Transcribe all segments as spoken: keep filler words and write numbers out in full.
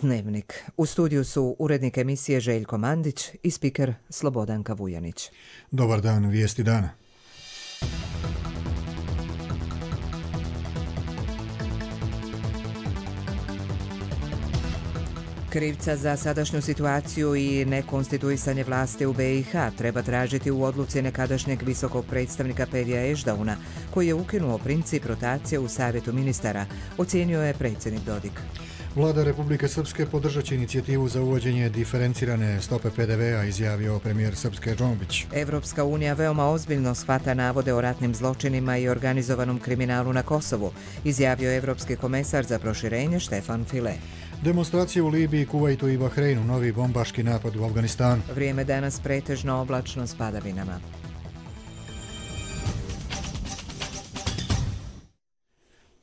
Dnevnik. U studiju su urednik emisije Željko Mandić i spiker Slobodanka Vujanić. Dobar dan, vijesti dana. Krivca za sadašnju situaciju i nekonstituisanje vlasti u be i ha treba tražiti u odluci nekadašnjeg visokog predstavnika Pedija Ešdauna, koji je ukinuo princip rotacije u Savjetu ministara, ocijenio je predsjednik Dodik. Vlada Republike Srpske podržat će inicijativu za uvođenje diferencirane stope pe de ve a, izjavio premijer Srpske Džombić. Evropska unija veoma ozbiljno shvata navode o ratnim zločinima i organizovanom kriminalu na Kosovu, izjavio evropski komesar za proširenje Štefan File. Demonstracije u Libiji, Kuvajtu i Bahreinu, novi bombaški napad u Afganistanu. Vrijeme danas pretežno oblačno s padavinama.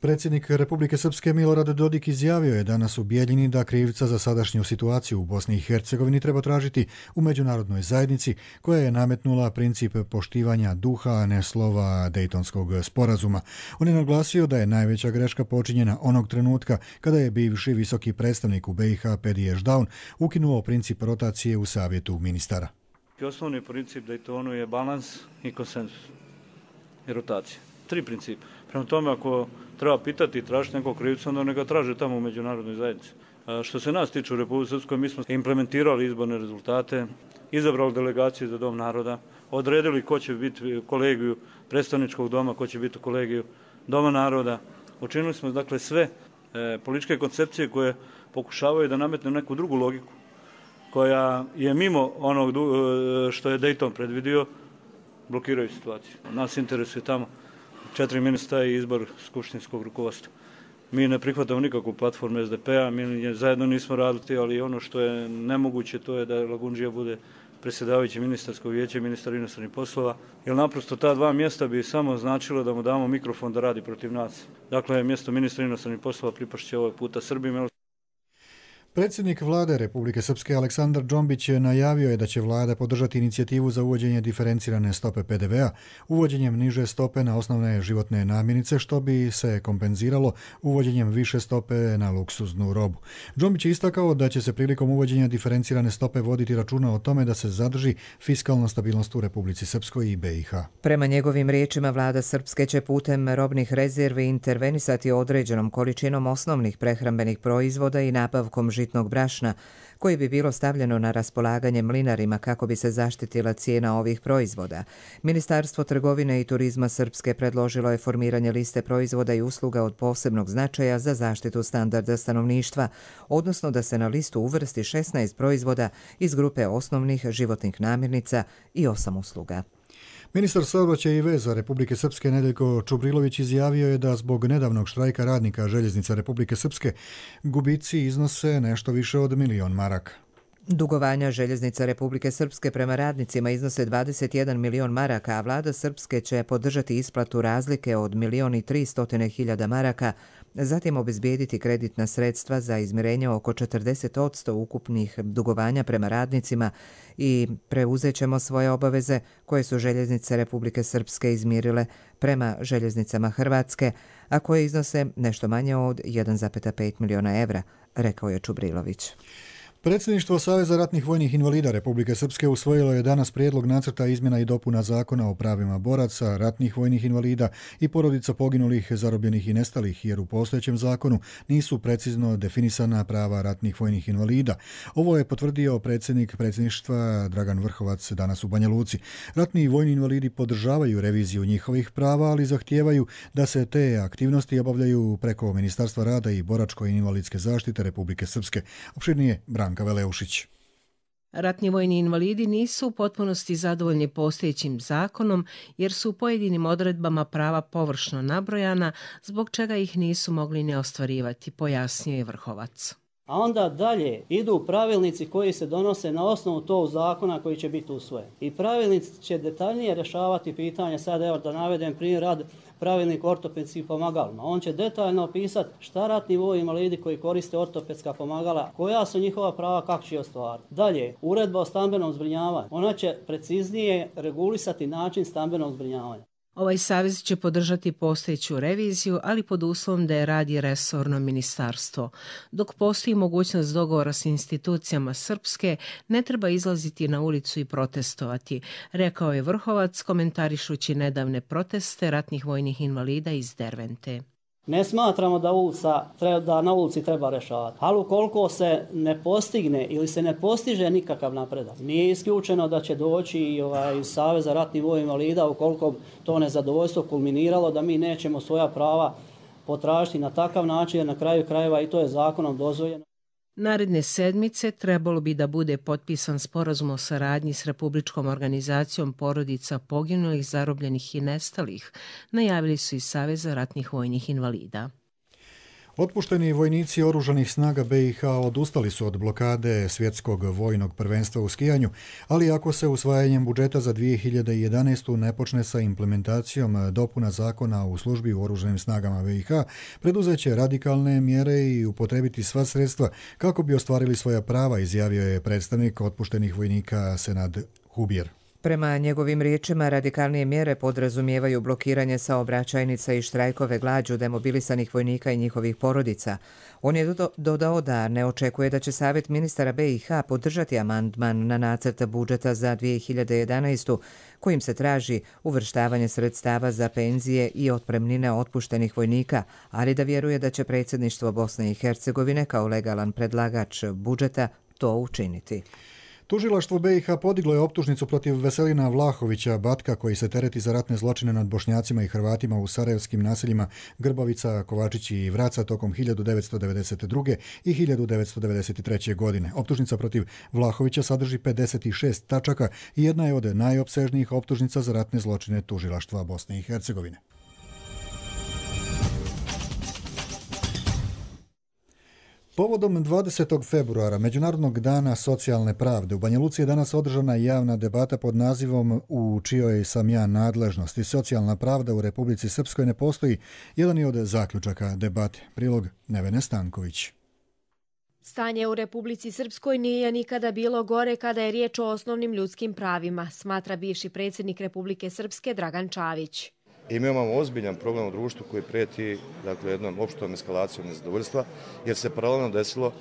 Predsjednik Republike Srpske Milorad Dodik izjavio je danas u Bijeljini da krivca za sadašnju situaciju u Bosni i Hercegovini treba tražiti u međunarodnoj zajednici koja je nametnula princip poštivanja duha, a ne slova Dejtonskog sporazuma. On je naglasio da je najveća greška počinjena onog trenutka kada je bivši visoki predstavnik u be i ha Pedije Ešdaun ukinuo princip rotacije u Savjetu ministara. Osnovni princip Dejtonu je balans i konsenzus i rotacija. Tri principa. Prema tome, ako treba pitati i tražiti nekog krivca, onda neka traže tamo u međunarodnoj zajednici. A što se nas tiče u Republike Srpskoj, mi smo implementirali izborne rezultate, izabrali delegaciju za Dom naroda, odredili ko će biti u kolegiju predstavničkog doma, ko će biti u kolegiju Doma naroda. Učinili smo dakle sve e, političke koncepcije koje pokušavaju da nametnu neku drugu logiku, koja je mimo onog e, što je Dejton predvidio, blokiraju situaciju. Nas interesuje tamo četiri ministra i izbor skupštinskog rukovodstva. Mi ne prihvatamo nikakvu platformu es de pe a, mi zajedno nismo radili, ali ono što je nemoguće to je da Lagundžija bude predsjedavajući ministarskog vijeća i ministar inostranih poslova, jer naprosto ta dva mjesta bi samo značilo da mu damo mikrofon da radi protiv nas. Dakle, mjesto ministra inostranih poslova pripašće ovaj puta Srbima. Predsjednik vlade Republike Srpske Aleksandar Džombić najavio je da će vlada podržati inicijativu za uvođenje diferencirane stope pe de ve a, uvođenjem niže stope na osnovne životne namirnice, što bi se kompenziralo uvođenjem više stope na luksuznu robu. Džombić je istakao da će se prilikom uvođenja diferencirane stope voditi računa o tome da se zadrži fiskalna stabilnost u Republici Srpskoj i be i ha. Prema njegovim riječima, vlada Srpske će putem robnih rezervi intervenisati određenom količinom osnovnih prehrambenih proizvoda i nabavkom žitnog brašna, koji bi bilo stavljeno na raspolaganje mlinarima kako bi se zaštitila cijena ovih proizvoda. Ministarstvo trgovine i turizma Srpske predložilo je formiranje liste proizvoda i usluga od posebnog značaja za zaštitu standarda stanovništva, odnosno da se na listu uvrsti šesnaest proizvoda iz grupe osnovnih životnih namirnica i osam usluga. Ministar saobraćaja i veza Republike Srpske Nedeljko Čubrilović izjavio je da zbog nedavnog štrajka radnika željeznica Republike Srpske gubici iznose nešto više od milion maraka. Dugovanja željeznica Republike Srpske prema radnicima iznose dvadeset jedan milion maraka, a vlada Srpske će podržati isplatu razlike od milion i tristotine hiljada maraka, zatim obezbijediti kreditna sredstva za izmirenje oko četrdeset posto ukupnih dugovanja prema radnicima i preuzet ćemo svoje obaveze koje su željeznice Republike Srpske izmirile prema željeznicama Hrvatske, a koje iznose nešto manje od jedan zarez pet miliona evra, rekao je Čubrilović. Predsjedništvo Saveza ratnih vojnih invalida Republike Srpske usvojilo je danas prijedlog nacrta izmjena i dopuna zakona o pravima boraca, ratnih vojnih invalida i porodica poginulih, zarobljenih i nestalih, jer u postojećem zakonu nisu precizno definisana prava ratnih vojnih invalida. Ovo je potvrdio predsjednik predsjedništva Dragan Vrhovac danas u Banja Luci. Ratni vojni invalidi podržavaju reviziju njihovih prava, ali zahtijevaju da se te aktivnosti obavljaju preko Ministarstva rada i boračko-invalidske zaštite Republike Srpske. Opširnije Branka Veleušić. Ratni vojni invalidi nisu u potpunosti zadovoljni postojećim zakonom jer su u pojedinim odredbama prava površno nabrojana, zbog čega ih nisu mogli ne ostvarivati, pojasnio je Vrhovac. A onda dalje idu pravilnici koji se donose na osnovu tog zakona koji će biti usvojen. I pravilnici će detaljnije rješavati pitanje, sad evo da navedem primjer rad pravilnik ortopedskih pomagalima. On će detaljno opisati šta ratni vojni invalidi koji koriste ortopedska pomagala, koja su njihova prava, kako će ostvariti. Dalje, uredba o stambenom zbrinjavanju. Ona će preciznije regulisati način stambenog zbrinjavanja. Ovaj savez će podržati postojeću reviziju, ali pod uslovom da je radi resorno ministarstvo. Dok postoji mogućnost dogovora s institucijama Srpske, ne treba izlaziti na ulicu i protestovati, rekao je Vrhovac komentarišući nedavne proteste ratnih vojnih invalida iz Dervente. Ne smatramo da, ulica, da na ulici treba rešavati, ali ukoliko se ne postigne ili se ne postiže nikakav napredak, nije isključeno da će doći i ovaj, iz Saveza ratnih vojnih invalida ukoliko to nezadovoljstvo kulminiralo da mi nećemo svoja prava potražiti na takav način, jer na kraju krajeva i to je zakonom dozvoljeno. Naredne sedmice trebalo bi da bude potpisan sporazum o saradnji s Republičkom organizacijom porodica poginulih, zarobljenih i nestalih, najavili su iz Saveza ratnih vojnih invalida. Otpušteni vojnici oružanih snaga B i H odustali su od blokade svjetskog vojnog prvenstva u skijanju, ali ako se usvajanjem budžeta za dvije hiljade jedanaestu ne počne sa implementacijom dopuna zakona u službi u oružanim snagama B i H, preduzeće radikalne mjere i upotrebiti sva sredstva kako bi ostvarili svoja prava, izjavio je predstavnik otpuštenih vojnika Senad Hubir. Prema njegovim riječima, radikalnije mjere podrazumijevaju blokiranje saobraćajnica i štrajkove glađu demobilisanih vojnika i njihovih porodica. On je dodao da ne očekuje da će Savjet ministara B i H podržati amandman na nacrt budžeta za dvije hiljade jedanaestu kojim se traži uvrštavanje sredstava za penzije i otpremnine otpuštenih vojnika, ali da vjeruje da će predsjedništvo Bosne i Hercegovine kao legalan predlagač budžeta to učiniti. Tužilaštvo B i H podiglo je optužnicu protiv Veselina Vlahovića Batka, koji se tereti za ratne zločine nad Bošnjacima i Hrvatima u sarajevskim naseljima Grbavica, Kovačić i Vraca tokom hiljadu devetsto devedeset druge. i hiljadu devetsto devedeset treće. godine. Optužnica protiv Vlahovića sadrži pedeset šest tačaka i jedna je od najopsežnijih optužnica za ratne zločine Tužilaštva Bosne i Hercegovine. Povodom dvadesetog februara, Međunarodnog dana socijalne pravde, u Banja Luci je danas održana javna debata pod nazivom U čijoj sam ja nadležnosti. Socijalna pravda u Republici Srpskoj ne postoji, jedan je od zaključaka debate. Prilog Nevene Stanković. Stanje u Republici Srpskoj nije nikada bilo gore kada je riječ o osnovnim ljudskim pravima, smatra bivši predsjednik Republike Srpske Dragan Čavić. I mi imamo ozbiljan problem u društvu koji prijeti dakle, jednom opštom eskalacijom nezadovoljstva, jer se paralelno desilo uh,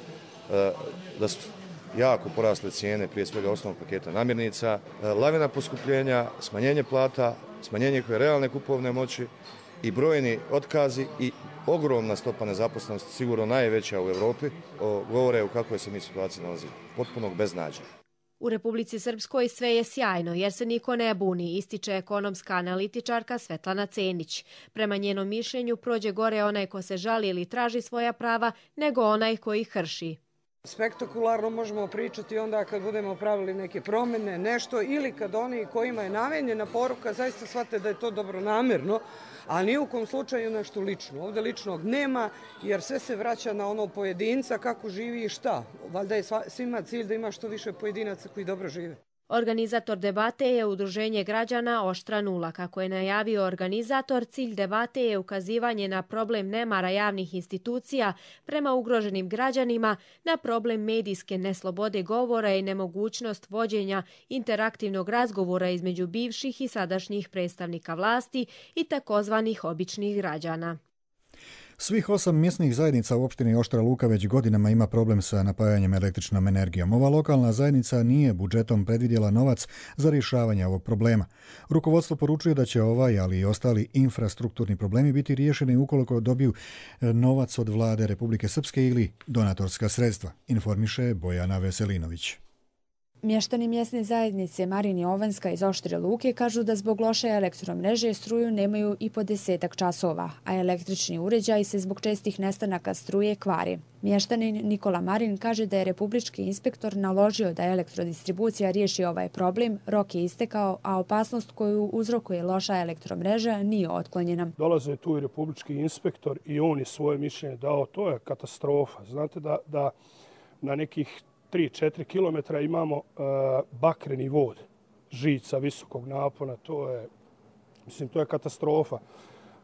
da su jako porasle cijene, prije svega osnovnog paketa namirnica, uh, lavina poskupljenja, smanjenje plata, smanjenje njihove realne kupovne moći i brojni otkazi i ogromna stopa nezaposlenosti, sigurno najveća u Europi, o, govore u kakvoj se mi situaciji nalazimo, potpunog beznađa. U Republici Srpskoj sve je sjajno jer se niko ne buni, ističe ekonomska analitičarka Svetlana Cenić. Prema njenom mišljenju prođe gore onaj ko se žali ili traži svoja prava nego onaj koji ih krši. Spektakularno možemo pričati onda kad budemo pravili neke promjene, nešto ili kad oni kojima je namenjena poruka zaista shvate da je to dobronamjerno, a ni u kom slučaju nešto lično. Ovdje ličnog nema jer sve se vraća na ono pojedinca kako živi i šta. Valjda je svima cilj da ima što više pojedinaca koji dobro žive. Organizator debate je Udruženje građana Oštra nula. Kako je najavio organizator, cilj debate je ukazivanje na problem nemara javnih institucija prema ugroženim građanima, na problem medijske neslobode govora i nemogućnost vođenja interaktivnog razgovora između bivših i sadašnjih predstavnika vlasti i takozvanih običnih građana. Svih osam mjesnih zajednica u opštini Oštra Luka već godinama ima problem sa napajanjem električnom energijom. Ova lokalna zajednica nije budžetom predvidjela novac za rješavanje ovog problema. Rukovodstvo poručuje da će ovaj, ali i ostali infrastrukturni problemi biti riješeni ukoliko dobiju novac od vlade Republike Srpske ili donatorska sredstva, informiše Bojana Veselinović. Mještani mjesne zajednice Marin i Ovanska iz Oštre Luke kažu da zbog loše elektromreže struju nemaju i po desetak časova, a električni uređaj se zbog čestih nestanaka struje kvari. Mještanin Nikola Marin kaže da je republički inspektor naložio da elektrodistribucija riješi ovaj problem, rok je istekao, a opasnost koju uzrokuje loša elektromreža nije otklonjena. Dolaze tu i republički inspektor i on je svoje mišljenje dao, to je katastrofa. Znate da, da na nekih tri do četiri kilometra imamo uh, bakreni vod, žica visokog napona, to je, mislim, to je katastrofa.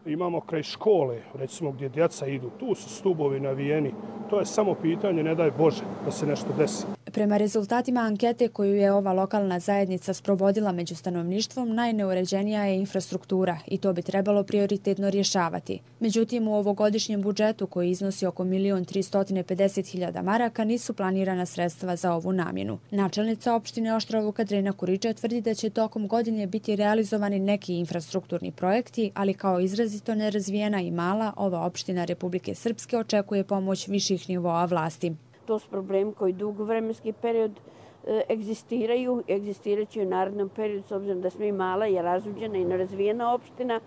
Imamo kraj škole, recimo gdje djeca idu, tu su stubovi navijeni, to je samo pitanje, ne daj Bože, da se nešto desi. Prema rezultatima ankete koju je ova lokalna zajednica sprovodila među stanovništvom, najneuređenija je infrastruktura i to bi trebalo prioritetno rješavati. Međutim, u ovogodišnjem budžetu koji iznosi oko milion tristo pedeset hiljada maraka nisu planirana sredstva za ovu namjenu. Načelnica opštine Oštra Luka Drena Kuriča tvrdi da će tokom godine biti realizovani neki infrastrukturni projekti, ali kao izrazito nerazvijena i mala, ova opština Republike Srpske očekuje pomoć viših nivoa vlasti. To su problemi koji dugo vremenski period e, egzistiraju, egzistiraće u narednom periodu s obzirom da smo i mala i razuđena i nerazvijena opština.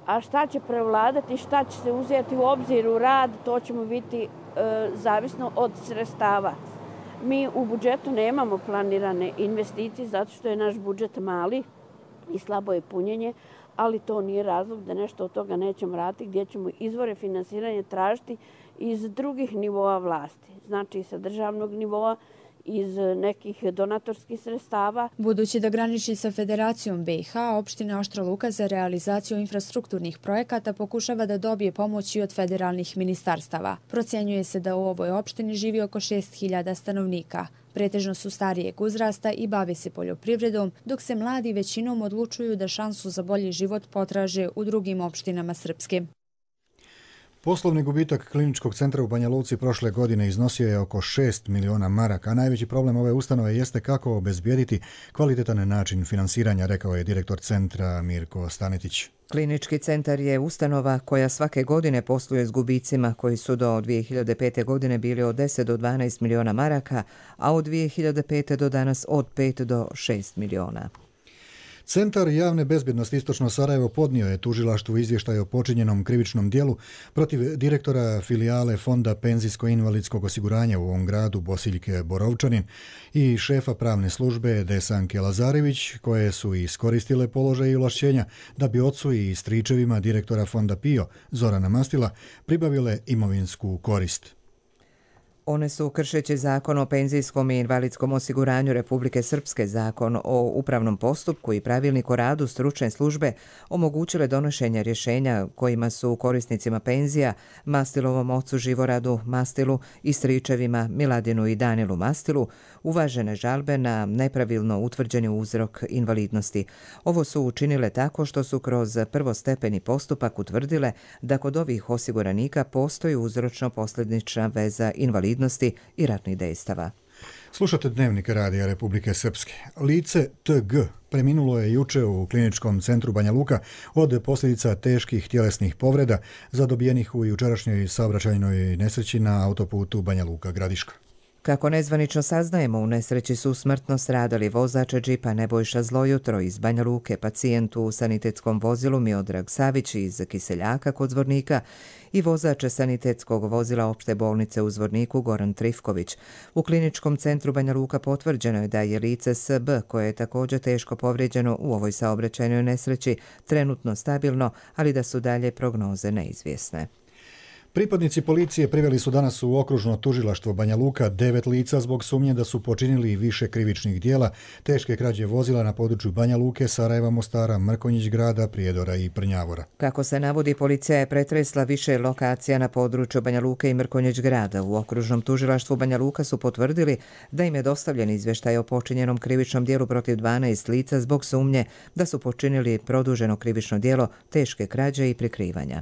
A šta će prevladati, šta će se uzeti u obzir u rad, to ćemo biti e, zavisno od sredstava. Mi u budžetu nemamo planirane investicije zato što je naš budžet mali i slabo je punjenje, ali to nije razlog da nešto od toga nećemo raditi, gdje ćemo izvore finansiranja tražiti iz drugih nivoa vlasti, znači sa državnog nivoa, iz nekih donatorskih sredstava. Budući da graniči sa Federacijom B i H, opština Oštra Luka za realizaciju infrastrukturnih projekata pokušava da dobije pomoć i od federalnih ministarstava. Procjenjuje se da u ovoj opštini živi oko šest hiljada stanovnika. Pretežno su starijeg uzrasta i bave se poljoprivredom, dok se mladi većinom odlučuju da šansu za bolji život potraže u drugim opštinama Srpske. Poslovni gubitak kliničkog centra u Banja Luci prošle godine iznosio je oko šest miliona maraka, a najveći problem ove ustanove jeste kako obezbijediti kvalitetan način finansiranja, rekao je direktor centra Mirko Stanetić. Klinički centar je ustanova koja svake godine posluje s gubicima koji su do dvije hiljade pete. godine bili od deset do dvanaest miliona maraka, a od dvije hiljade pete. do danas od pet do šest miliona. Centar javne bezbjednosti Istočno Sarajevo podnio je tužilaštvu izvještaj o počinjenom krivičnom dijelu protiv direktora filijale Fonda penzijsko-invalidskog osiguranja u ovom gradu Bosiljke Borovčanin i šefa pravne službe Desanke Lazarević, koje su iskoristile položaj i ovlašćenja da bi ocu i stričevima direktora Fonda PIO Zorana Mastila pribavile imovinsku korist. One su, kršeći zakon o penzijskom i invalidskom osiguranju Republike Srpske, zakon o upravnom postupku i pravilnik o radu stručne službe, omogućile donošenje rješenja kojima su korisnicima penzija, Mastilovom ocu Živoradu Mastilu i stričevima Miladinu i Danilu Mastilu, uvažene žalbe na nepravilno utvrđeni uzrok invalidnosti. Ovo su učinile tako što su kroz prvostepeni postupak utvrdile da kod ovih osiguranika postoji uzročno-posljedična veza invalidnosti i ratnih dejstava. Slušate Dnevnik Radija Republike Srpske. Lice T G preminulo je juče u kliničkom centru Banja Luka od posljedica teških tjelesnih povreda zadobijenih u jučerašnjoj saobraćajnoj nesreći na autoputu Banja Luka-Gradiška. Kako nezvanično saznajemo, u nesreći su smrtno stradali vozač džipa Nebojša Zlojutro iz Banja Luke, pacijent u sanitetskom vozilu Miodrag Savić iz Kiseljaka kod Zvornika i vozač sanitetskog vozila opšte bolnice u Zvorniku Goran Trifković. U kliničkom centru Banja Luka potvrđeno je da je lice S B, koje je također teško povrijeđeno u ovoj saobraćajnoj nesreći, trenutno stabilno, ali da su dalje prognoze neizvjesne. Pripadnici policije priveli su danas u okružno tužilaštvo Banja Luka devet lica zbog sumnje da su počinili više krivičnih dijela, teške krađe vozila na području Banja Luke, Sarajeva, Mostara, Mrkonjić grada, Prijedora i Prnjavora. Kako se navodi, policija je pretresla više lokacija na području Banja Luke i Mrkonjić grada. U okružnom tužilaštvu Banja Luka su potvrdili da im je dostavljen izvještaj o počinjenom krivičnom dijelu protiv dvanaest lica zbog sumnje da su počinili produženo krivično dijelo, teške krađe i prikrivanja.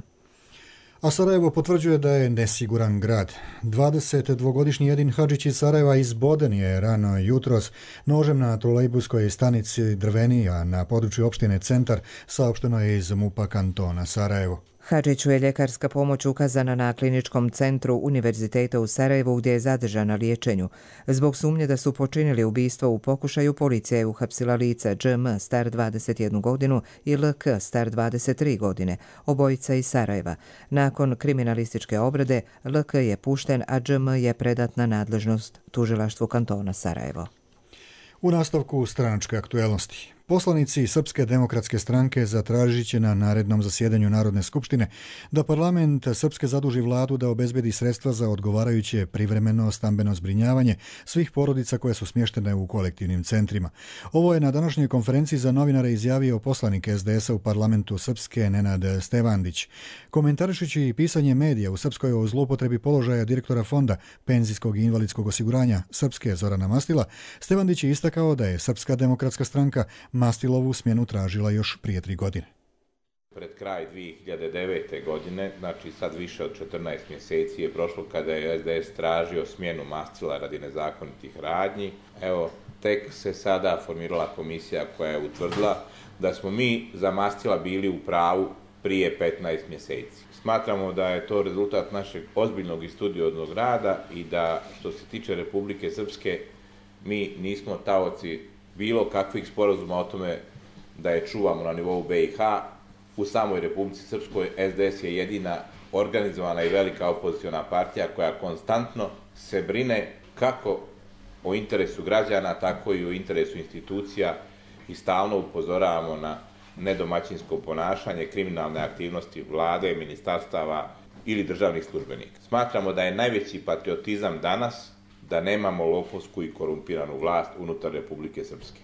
A Sarajevo potvrđuje da je nesiguran grad. dvadesetdvogodišnji Edin Hadžić iz Sarajeva izboden je rano jutros nožem na trolejbuskoj stanici Drveni, a na području opštine Centar, saopšteno je iz MUP-a kantona Sarajevo. Hadžiću je ljekarska pomoć ukazana na kliničkom centru Univerziteta u Sarajevu gdje je zadržan na liječenju. Zbog sumnje da su počinili ubistvo u pokušaju, policija je uhapsila lica Đ M star dvadeset jednu godinu i L K star dvadeset tri godine, obojica iz Sarajeva. Nakon kriminalističke obrade, L K je pušten, a Đ M je predat na nadležnost tužilaštvu kantona Sarajevo. U nastavku stranačke aktuelnosti. Poslanici Srpske demokratske stranke zatražit će na narednom zasjedanju Narodne skupštine da parlament Srpske zaduži vladu da obezbedi sredstva za odgovarajuće privremeno stambeno zbrinjavanje svih porodica koje su smještene u kolektivnim centrima. Ovo je na današnjoj konferenciji za novinare izjavio poslanik es de esa u parlamentu Srpske Nenad Stevandić. Komentarišući pisanje medija u Srpskoj o zloupotrebi položaja direktora Fonda penzijskog i invalidskog osiguranja Srpske Zorana Mastila, Stevandić je istakao da je Srpska demokratska stranka Mastilovu smjenu tražila još prije tri godine. Pred kraj dvije hiljade devete. godine, znači sad više od četrnaest mjeseci je prošlo kada je es de es tražio smjenu Mastila radi nezakonitih radnji. Evo, tek se sada formirala komisija koja je utvrdila da smo mi za Mastila bili u pravu prije petnaest mjeseci. Smatramo da je to rezultat našeg ozbiljnog i studioznog rada i da, što se tiče Republike Srpske, mi nismo taoci bilo kakvih sporazuma o tome da je čuvamo na nivou be i ha. U samoj Republici Srpskoj es de es je jedina organizovana i velika opoziciona partija koja konstantno se brine kako o interesu građana, tako i o interesu institucija i stalno upozoravamo na nedomaćinsko ponašanje, kriminalne aktivnosti vlade, ministarstava ili državnih službenika. Smatramo da je najveći patriotizam danas da nemamo lopovsku i korumpiranu vlast unutar Republike Srpske.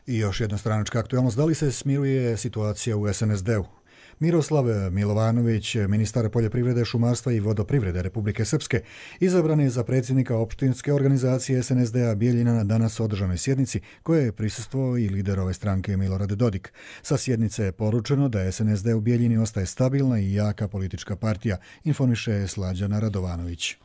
I još jedna stranačka aktualnost, da li se smiruje situacija u es en es de-u? Miroslav Milovanović, ministar poljoprivrede, šumarstva i vodoprivrede Republike Srpske, izabran je za predsjednika opštinske organizacije es en es de-a Bijeljina na danas održanoj sjednici koje je prisustvovao i lider ove stranke Milorad Dodik. Sa sjednice je poručeno da es en es de u Bijeljini ostaje stabilna i jaka politička partija, informiše Slađana Radovanović.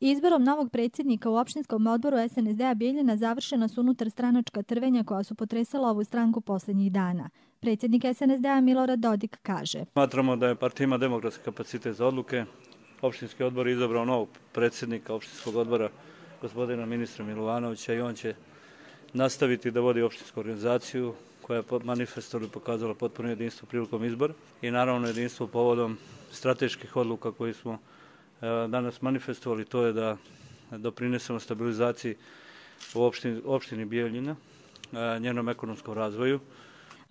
Izborom novog predsjednika u opštinskom odboru es en es de-a Bijeljina završena su unutar stranačka trvenja koja su potresala ovu stranku posljednjih dana. Predsjednik es en es de-a Milorad Dodik kaže: Smatramo da je partija ima demokratski kapacitet za odluke. Opštinski odbor je izabrao novog predsjednika opštinskog odbora, gospodina ministra Milovanovića, i on će nastaviti da vodi opštinsku organizaciju koja je manifestovano pokazala potpuno jedinstvo prilikom izbora i naravno jedinstvo povodom strateških odluka koji smo danas manifestovali, to je da doprinesemo stabilizaciji u opštini, opštini Bijeljina, njenom ekonomskom razvoju.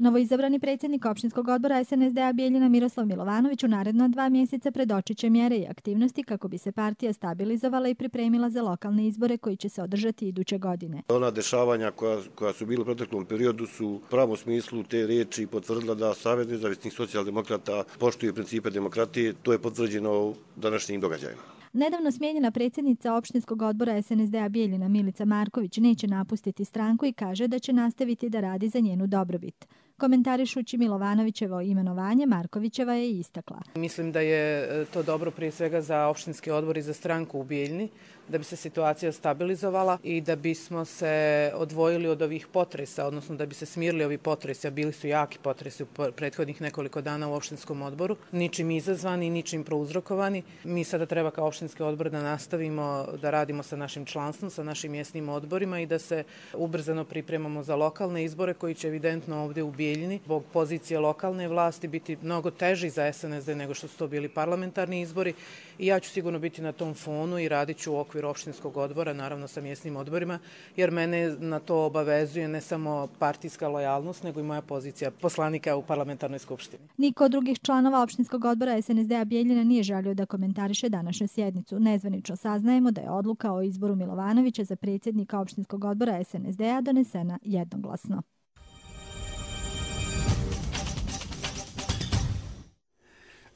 Novoizabrani predsjednik opštinskog odbora es en es de-a Bijeljina Miroslav Milovanović u naredna dva mjeseca predočit će mjere i aktivnosti kako bi se partija stabilizovala i pripremila za lokalne izbore koji će se održati iduće godine. Ona dešavanja koja, koja su bila u proteklom periodu su u pravom smislu te riječi potvrdila da Savez nezavisnih socijaldemokrata poštuje principe demokratije. To je potvrđeno današnjim događajima. Nedavno smijenjena predsjednica opštinskog odbora es en es de-a Bijeljina Milica Marković neće napustiti stranku i kaže da će nastaviti da radi za njenu dobrobit. Komentarišući Milovanovićevo imenovanje, Markovićeva je istakla: Mislim da je to dobro prije svega za opštinski odbor i za stranku u Bijeljini, da bi se situacija stabilizovala i da bismo se odvojili od ovih potresa, odnosno da bi se smirili ovi potresi, a bili su jaki potresi u prethodnih nekoliko dana u opštinskom odboru, ničim izazvani, ničim prouzrokovani. Mi sada treba kao opštinski odbor da nastavimo da radimo sa našim članstvom, sa našim mjesnim odborima i da se ubrzano pripremamo za lokalne izbore koji će evidentno ovdje u Bijeljini zbog pozicije lokalne vlasti biti mnogo teži za es en es de nego što su to bili parlamentarni izbori i ja ću sigurno biti na tom fonu i radit ću u okviru opštinskog odbora, naravno sa mjesnim odborima, jer mene na to obavezuje ne samo partijska lojalnost, nego i moja pozicija poslanika u parlamentarnoj skupštini. Niko od drugih članova opštinskog odbora es en es de-a Bijeljina nije želio da komentariše današnju sjednicu. Nezvanično saznajemo da je odluka o izboru Milovanovića za predsjednika opštinskog odbora es en es de-a donesena jednoglasno.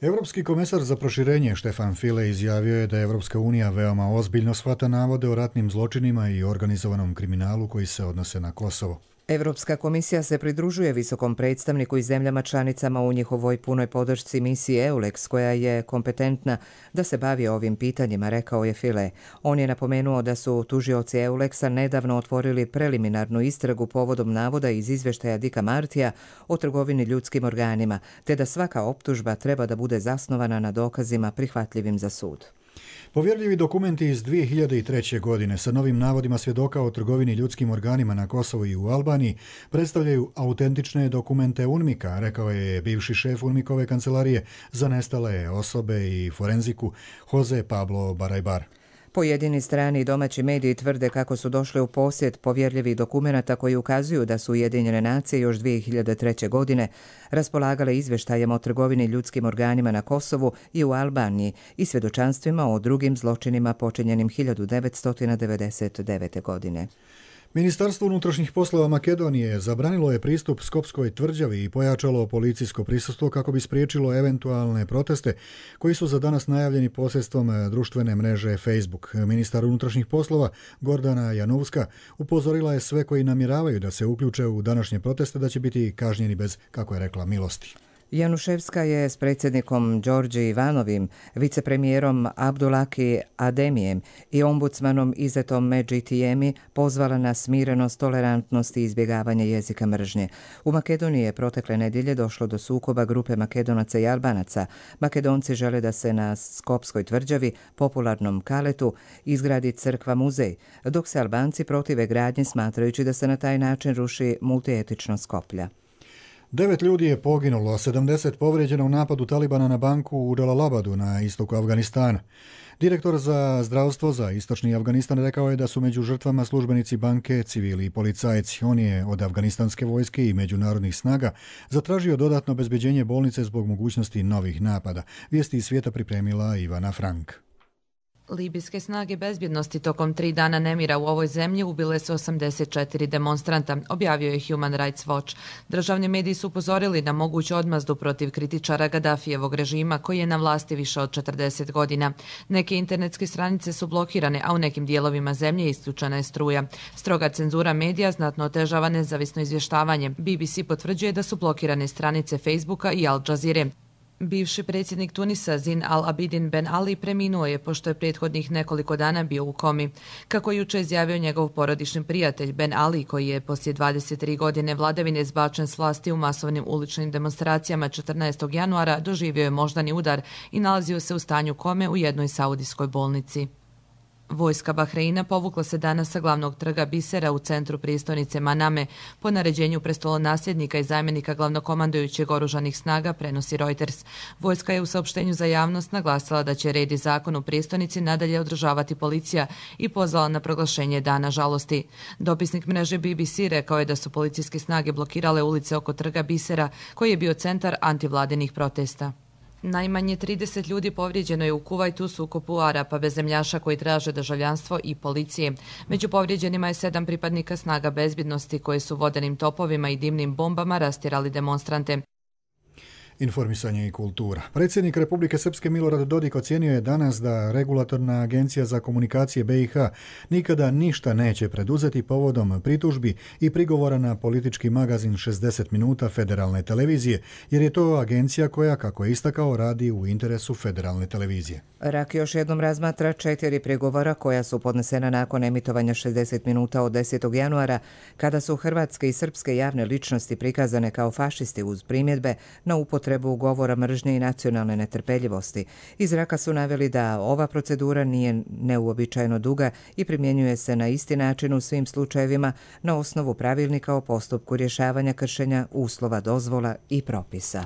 Europski komesar za proširenje Štefan File izjavio je da Evropska unija veoma ozbiljno shvata navode o ratnim zločinima i organizovanom kriminalu koji se odnose na Kosovo. Europska komisija se pridružuje visokom predstavniku i zemljama članicama u njihovoj punoj podršci misiji EULEX, koja je kompetentna da se bavi ovim pitanjima, rekao je File. On je napomenuo da su tužioci EULEX-a nedavno otvorili preliminarnu istragu povodom navoda iz izvještaja Dicka Martija o trgovini ljudskim organima, te da svaka optužba treba da bude zasnovana na dokazima prihvatljivim za sud. Povjerljivi dokumenti iz dvije hiljade treće. godine sa novim navodima svjedoka o trgovini ljudskim organima na Kosovu i u Albaniji predstavljaju autentične dokumente UNMIK-a, rekao je bivši šef UNMIK-ove kancelarije za nestale osobe i forenziku Jose Pablo Barajbar. Pojedini strani i domaći mediji tvrde kako su došli u posjed povjerljivih dokumenata koji ukazuju da su Ujedinjene nacije još dvije hiljade treće. godine raspolagale izvještajem o trgovini ljudskim organima na Kosovu i u Albaniji i svjedočanstvima o drugim zločinima počinjenim hiljadu devetsto devedeset devete. godine. Ministarstvo unutrašnjih poslova Makedonije zabranilo je pristup Skopskoj tvrđavi i pojačalo policijsko prisustvo kako bi spriječilo eventualne proteste koji su za danas najavljeni posredstvom društvene mreže Facebook. Ministar unutrašnjih poslova Gordana Janovska upozorila je sve koji namjeravaju da se uključe u današnje proteste da će biti kažnjeni bez, kako je rekla, milosti. Januševska je s predsjednikom Đorđe Ivanovim, vicepremijerom Abdulaki Ademijem i ombudsmanom Izetom Medžitijemi pozvala na smirenost, tolerantnost i izbjegavanje jezika mržnje. U Makedoniji je protekle nedjelje došlo do sukoba grupe Makedonaca i Albanaca. Makedonci žele da se na Skopskoj tvrđavi, popularnom Kaletu, izgradi crkva muzej, dok se Albanci protive gradnji smatrajući da se na taj način ruši multietičnost Skoplja. Devet ljudi je poginulo, a sedamdeset povrijeđeno u napadu Talibana na banku u Džalalabadu na istoku Afganistana. Direktor za zdravstvo za istočni Afganistan rekao je da su među žrtvama službenici banke, civili i policajci. On je od afganistanske vojske i međunarodnih snaga zatražio dodatno obezbeđenje bolnice zbog mogućnosti novih napada. Vijesti iz svijeta pripremila Ivana Frank. Libijske snage bezbjednosti tokom tri dana nemira u ovoj zemlji ubile su osamdeset četiri demonstranta, objavio je Human Rights Watch. Državni mediji su upozorili na moguću odmazdu protiv kritičara Gaddafijevog režima koji je na vlasti više od četrdeset godina. Neke internetske stranice su blokirane, a u nekim dijelovima zemlje isključena je struja. Stroga cenzura medija znatno otežava nezavisno izvještavanje. B B C potvrđuje da su blokirane stranice Facebooka i Al Jazeere. Bivši predsjednik Tunisa Zin al-Abidin Ben Ali preminuo je pošto je prethodnih nekoliko dana bio u komi. Kako je jučer izjavio njegov porodični prijatelj Ben Ali, koji je poslije dvadeset tri godine vladavine zbačen s vlasti u masovnim uličnim demonstracijama četrnaestog januara, doživio je moždani udar i nalazio se u stanju kome u jednoj saudijskoj bolnici. Vojska Bahreina povukla se danas sa glavnog trga Bisera u centru prijestolnice Maname po naređenju prestolonasljednika i zamjenika glavnokomandujućeg oružanih snaga, prenosi Reuters. Vojska je u saopštenju za javnost naglasila da će red i zakon u prijestolnici nadalje održavati policija i pozvala na proglašenje dana žalosti. Dopisnik mreže B B C rekao je da su policijske snage blokirale ulice oko trga Bisera, koji je bio centar antivladinih protesta. Najmanje trideset ljudi povrijeđeno je u Kuvajtu, sukobu Arapa bezemljaša koji traže državljanstvo i policije. Među povrijeđenima je sedam pripadnika snaga bezbjednosti koje su vodenim topovima i dimnim bombama rastjerali demonstrante. Informisanje i kultura. Predsjednik Republike Srpske Milorad Dodik ocijenio je danas da Regulatorna agencija za komunikacije B i H nikada ništa neće preduzeti povodom pritužbi i prigovora na politički magazin šezdeset minuta federalne televizije, jer je to agencija koja, kako je istakao, radi u interesu federalne televizije. Rak još jednom razmatra četiri prigovora koja su podnesena nakon emitovanja šezdeset minuta od desetog januara, kada su hrvatske i srpske javne ličnosti prikazane kao fašisti uz primjedbe na upotrebu govora mržnje i nacionalne netrpeljivosti. Iz Raka su naveli da ova procedura nije neuobičajeno duga i primjenjuje se na isti način u svim slučajevima na osnovu pravilnika o postupku rješavanja kršenja uslova, dozvola i propisa.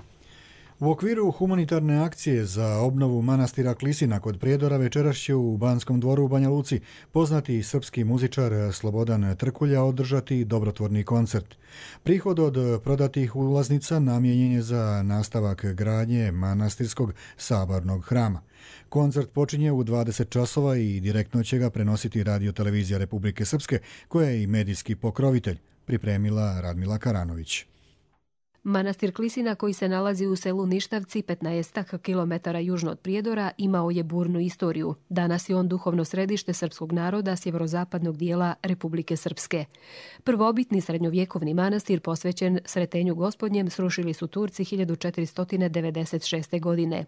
U okviru humanitarne akcije za obnovu manastira Klisina kod Prijedora večeras će u Banskom dvoru u Banja Luci poznati srpski muzičar Slobodan Trkulja održati dobrotvorni koncert. Prihod od prodatih ulaznica namijenjen je za nastavak gradnje manastirskog sabornog hrama. Koncert počinje u dvadeset časova i direktno će ga prenositi Radio-televizija Republike Srpske, koja je i medijski pokrovitelj, pripremila Radmila Karanović. Manastir Klisina, koji se nalazi u selu Ništavci, petnaest kilometara južno od Prijedora, imao je burnu istoriju. Danas je on duhovno središte srpskog naroda sjeverozapadnog dijela Republike Srpske. Prvobitni srednjovjekovni manastir posvećen Sretenju Gospodnjem srušili su Turci hiljadu četiristo devedeset šeste. godine.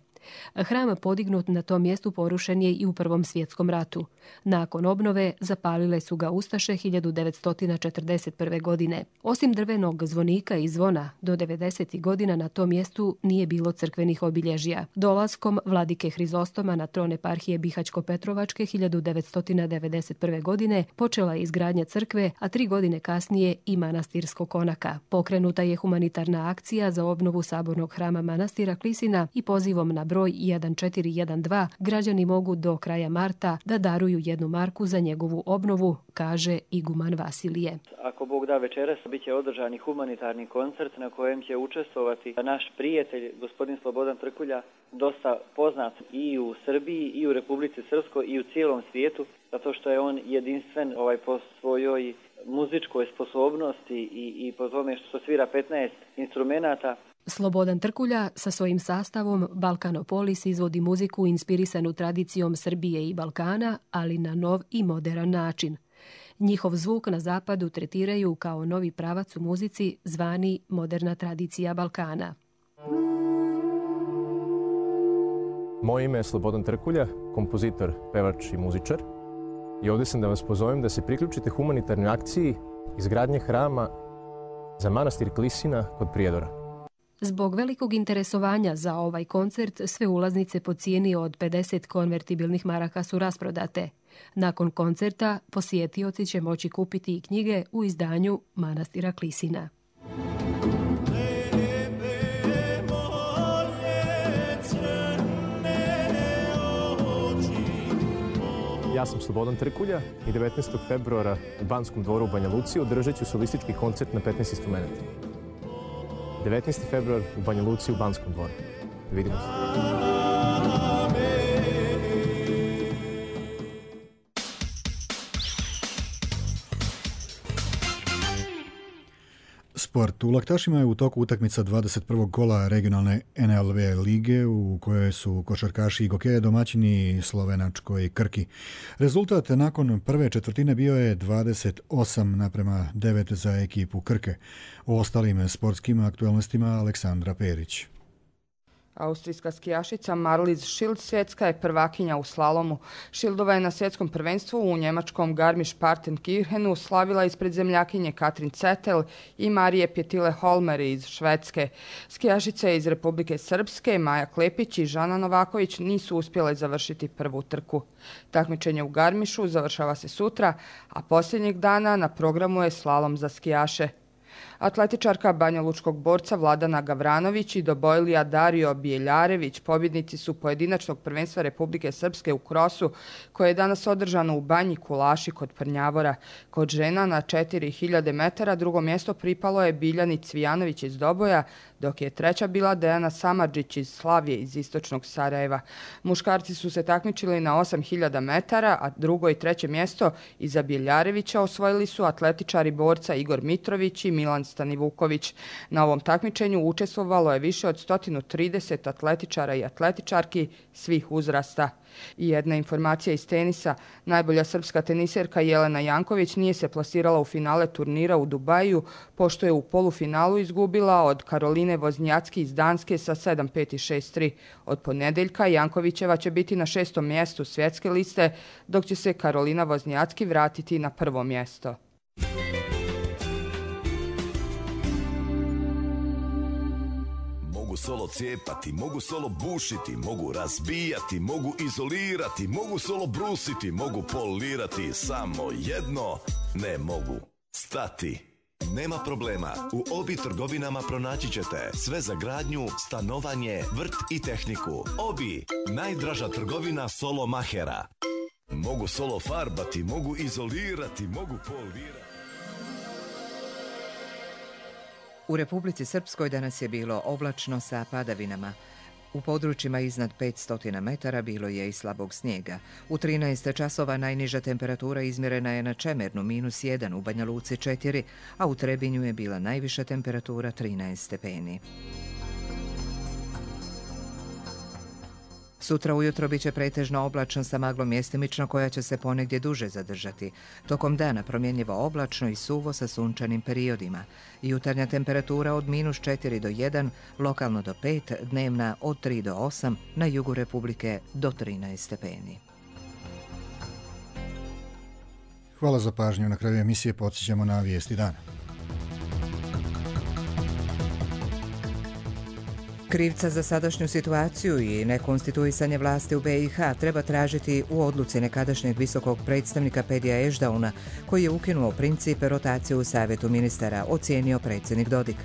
Hram podignut na tom mjestu porušen je i u Prvom svjetskom ratu. Nakon obnove zapalile su ga ustaše hiljadu devetsto četrdeset prve. godine. Osim drvenog zvonika i zvona, do devedeset devedesetih godina na tom mjestu nije bilo crkvenih obilježja. Dolaskom vladike Hrizostoma na tron eparhije Bihaćko-Petrovačke hiljadu devetsto devedeset prve. godine počela je izgradnja crkve, a tri godine kasnije i manastirskog konaka. Pokrenuta je humanitarna akcija za obnovu sabornog hrama manastira Klisina i pozivom na broj jedan četiri jedan dva građani mogu do kraja marta da daruju jednu marku za njegovu obnovu, kaže iguman Vasilije. Ako Bog da, večeras bit će održani humanitarni koncert na kojem će učestvovati naš prijatelj, gospodin Slobodan Trkulja, dosta poznat i u Srbiji, i u Republici Srpskoj, i u cijelom svijetu, zato što je on jedinstven ovaj po svojoj muzičkoj sposobnosti i, i po tome što svira petnaest instrumenata. Slobodan Trkulja sa svojim sastavom Balkanopolis izvodi muziku inspirisanu tradicijom Srbije i Balkana, ali na nov i moderan način. Njihov zvuk na zapadu tretiraju kao novi pravac u muzici zvani moderna tradicija Balkana. Moje ime je Slobodan Trkulja, kompozitor, pevač i muzičar. I ovdje sam da vas pozovem da se priključite humanitarnoj akciji izgradnje hrama za manastir Klisina kod Prijedora. Zbog velikog interesovanja za ovaj koncert, sve ulaznice po cijeni od pedeset konvertibilnih maraka su rasprodate. Nakon koncerta posjetioci će moći kupiti i knjige u izdanju manastira Klisina. Ja sam Slobodan Trkulja i devetnaestog februara u Banskom dvoru u Banja Luci održat ću solistički koncert na petnaest instrumenta. devetnaesti februar u Banja Luci u Banskom dvoru. Vidimo se. Sport. U Laktašima je u toku utakmica dvadeset prvog kola regionalne N L V lige u kojoj su košarkaši i gokeje domaćini slovenačkoj Krki. Rezultat nakon prve četvrtine bio je dvadeset osam naprema devet za ekipu Krke. O ostalim sportskim aktualnostima Aleksandra Perić. Austrijska skijašica Marlies Schild svjetska je prvakinja u slalomu. Schildova je na svjetskom prvenstvu u njemačkom Garmisch-Partenkirchenu slavila ispred zemljakinje Katrin Zettel i Marije Pjetile-Holmer iz Švedske. Skijašice iz Republike Srpske Maja Klepić i Žana Novaković nisu uspjele završiti prvu trku. Takmičenje u Garmišu završava se sutra, a posljednjeg dana na programu je slalom za skijaše. Atletičarka banjalučkog borca Vladana Gavranović i dobojlija Dario Bijeljarević pobjednici su pojedinačnog prvenstva Republike Srpske u krosu koje je danas održano u Banji Kulaši kod Prnjavora. Kod žena na četiri hiljade metara drugo mjesto pripalo je Biljani Cvijanović iz Doboja, dok je treća bila Dejana Samardžić iz Slavije iz istočnog Sarajeva. Muškarci su se takmičili na osam hiljada metara, a drugo i treće mjesto iza Bijeljarevića osvojili su atletičari borca Igor Mitrović i Milan Stanivuković. Na ovom takmičenju učestvovalo je više od sto trideset atletičara i atletičarki svih uzrasta. I jedna informacija iz tenisa. Najbolja srpska teniserka Jelena Janković nije se plasirala u finale turnira u Dubaju, pošto je u polufinalu izgubila od Karoline Voznjacki iz Danske sa sedam pet i šest tri. Od ponedeljka Jankovićeva će biti na šestom mjestu svjetske liste, dok će se Karolina Voznjacki vratiti na prvo mjesto. Mogu solo cijepati, mogu solo bušiti, mogu razbijati, mogu izolirati, mogu solo brusiti, mogu polirati, samo jedno ne mogu stati. Nema problema, u Obi trgovinama pronaći ćete sve za gradnju, stanovanje, vrt i tehniku. Obi, najdraža trgovina solo mahera. Mogu solo farbati, mogu izolirati, mogu polirati. U Republici Srpskoj danas je bilo oblačno sa padavinama. U područjima iznad petsto metara bilo je i slabog snijega. U trinaest časova najniža temperatura izmjerena je na Čemernu minus jedan, u Banja Luci četiri, a u Trebinju je bila najviša temperatura trinaest stepeni. Sutra ujutro bit će pretežno oblačno sa maglom mjestimično koja će se ponegdje duže zadržati. Tokom dana promjenjivo oblačno i suvo sa sunčanim periodima. Jutarnja temperatura od minus četiri do jedan, lokalno do pet, dnevna od tri do osam, na jugu Republike do trinaest stepeni. Hvala za pažnju. Na kraju emisije podsjećamo na vijesti dana. Krivca za sadašnju situaciju i nekonstituisanje vlasti u be i ha treba tražiti u odluci nekadašnjeg visokog predstavnika Pedija Ešdauna, koji je ukinuo princip rotacije u Savjetu ministara, ocijenio predsjednik Dodik.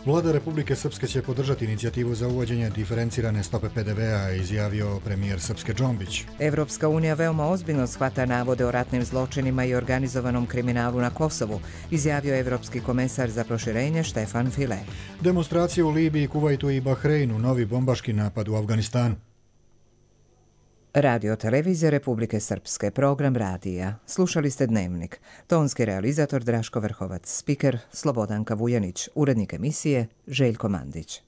Vlada Republike Srpske će podržati inicijativu za uvođenje diferencirane stope pe de vea, izjavio premijer Srpske Džombić. Evropska unija veoma ozbiljno shvata navode o ratnim zločinima i organizovanom kriminalu na Kosovu, izjavio evropski komesar za proširenje Štefan File. Demonstracije u Libiji, Kuvajtu i Bahreinu, novi bombaški napad u Afganistanu. Radio televizija Republike Srpske, program radija. Slušali ste Dnevnik. Tonski realizator Draško Vrhovac, spiker Slobodanka Vujanić, urednik emisije Željko Mandić.